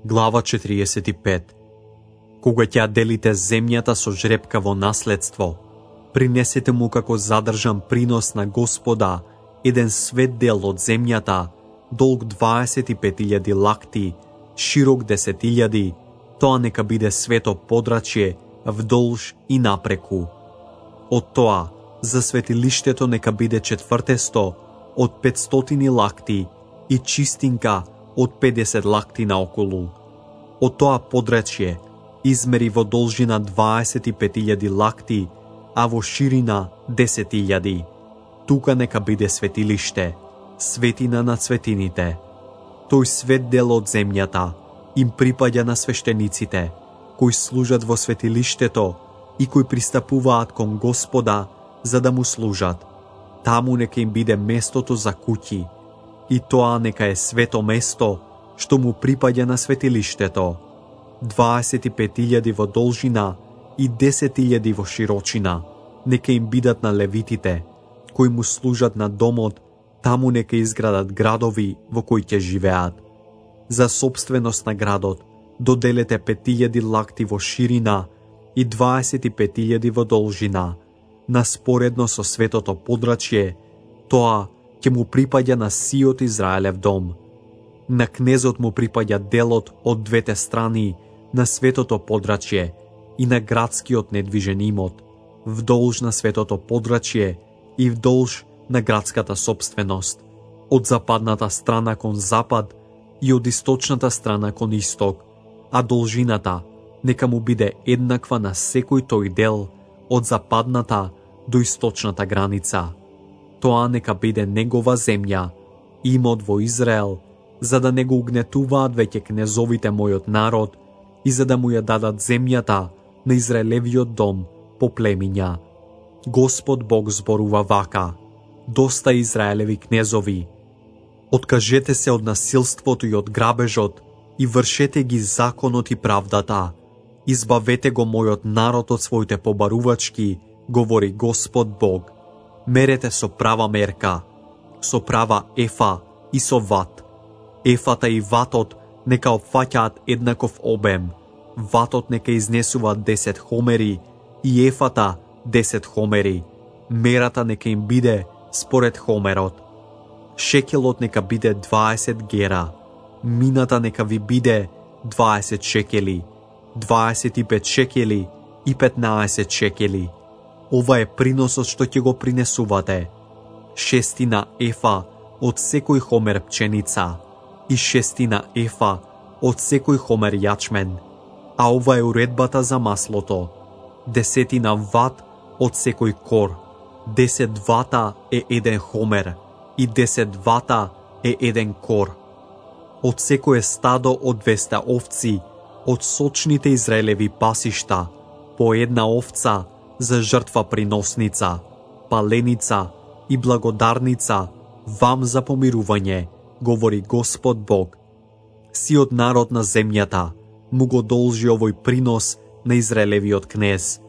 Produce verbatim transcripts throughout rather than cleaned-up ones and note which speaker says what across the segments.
Speaker 1: Глава четириесет и пет. Кога ќе делите земјата со жребка во наследство, принесете му како задржан принос на Господа еден свет дел од земјата, долг дваесет и пет илјади лакти, широк десет илјади, тоа нека биде свето подрачје вдолж и напреку. Од тоа, за светилиштето нека биде четвртесто од петстотини лакти и чистинка од педесет лакти наоколу. Од тоа подрачје измери во должина дваесет и пет илјади лакти, а во ширина десет илјади. Тука нека биде светилиште, светина на светините. Тој свет дел од земјата им припаѓа на свештениците, кои служат во светилиштето и кои пристапуваат кон Господа за да му служат. Таму нека им биде местото за куќи, и тоа нека е свето место што му припаѓа на светилиштето. дваесет и пет илјади во должина и десет илјади во широчина нека им бидат на левитите, кои му служат на домот, таму нека изградат градови во кои ќе живеат. За собственост на градот доделете пет илјади лакти во ширина и дваесет и пет илјади во должина. Наспоредно со светото подрачје, тоа ќе му припаѓа на сиот Израелев дом. На кнезот му припаѓа делот од двете страни на светото подрачје и на градскиот недвижен имот, вдолж на светото подрачје и вдолж на градската собственост, од западната страна кон запад и од источната страна кон исток, а должината нека му биде еднаква на секој тој дел од западната до источната граница. Тоа нека биде негова земја, имот во Израел, за да не го угнетуваат веќе кнезовите мојот народ и за да му ја дадат земјата на Израелевиот дом по племиња. Господ Бог зборува вака: доста Израелеви кнезови, откажете се од насилството и од грабежот и вршете ги законот и правдата. Избавете го мојот народ од своите побарувачки, говори Господ Бог. Мерете со права мерка, со права ефа и со ват. Ефата и ватот нека опфаќаат еднаков обем. Ватот нека изнесува десет хомери и ефата десет хомери. Мерата нека им биде според хомерот. Шекелот нека биде дваесет гера. Мината нека ви биде дваесет шекели. дваесет и пет шекели и петнаесет шекели. Ова е приносот што ќе го принесувате. Шестина ефа од секој хомер пченица и шестина ефа од секој хомер јачмен. А ова е уредбата за маслото. Десетина ват од секој кор. Десет вата е еден хомер и десет вата е еден кор. Од секое стадо од двесте овци, од сочните Израелеви пасишта, по една овца за жртва приносница, паленица и благодарница вам за помирување, говори Господ Бог. Сиот народ на земјата му го должи овој принос на Израелевиот кнез,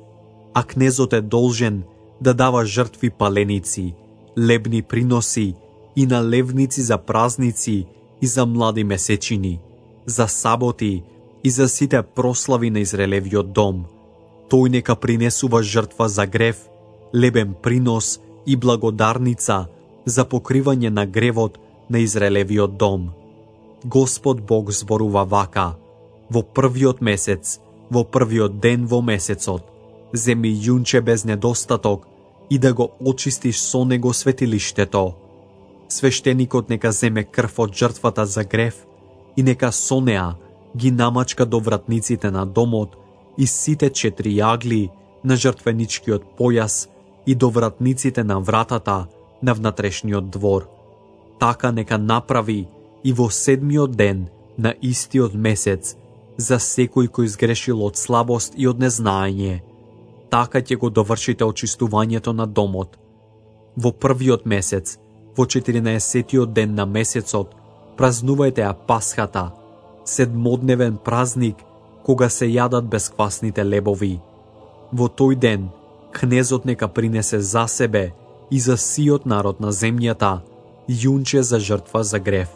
Speaker 1: а кнезот е должен да дава жртви паленици, лебни приноси и налевници за празници и за млади месечини, за саботи и за сите прослави на Израелевиот дом. Тој нека принесува жртва за грев, лебен принос и благодарница за покривање на гревот на Израелевиот дом. Господ Бог зборува вака: во првиот месец, во првиот ден во месецот, земи јунче без недостаток и да го очистиш со него светилиштето. Свештеникот нека земе крв од жртвата за грев и нека со неа ги намачка до вратниците на домот и сите четири јагли на жртвеничкиот појас и до вратниците на вратата на внатрешниот двор. Така нека направи и во седмиот ден на истиот месец за секој кој изгрешил од слабост и од незнаење. Така ќе го довршите очистувањето на домот. Во првиот месец, во четиринаесеттиот ден на месецот, празнувајте ја Пасхата, седмодневен празник, кога се јадат бесквасните лебови. Во тој ден, кнезот нека принесе за себе и за сиот народ на земјата јунче за жртва за грев.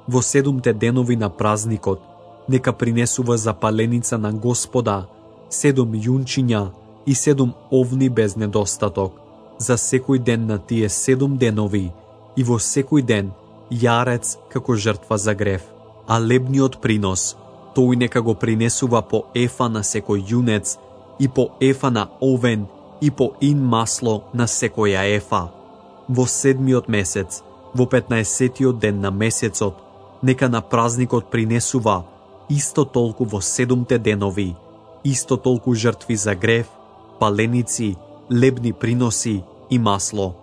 Speaker 1: Во седумте денови на празникот, нека принесува запаленица на Господа, седум јунчиња и седум овни без недостаток, за секој ден на тие седум денови, и во секој ден јарец како жртва за грев, а лебниот принос, тој нека го принесува по ефа на секој јунец, и по ефа на овен, и по ин масло на секоја ефа. Во седмиот месец, во петнаесеттиот ден на месецот, нека на празникот принесува исто толку во седумте денови, исто толку жртви за грев, паленици, лебни приноси и масло.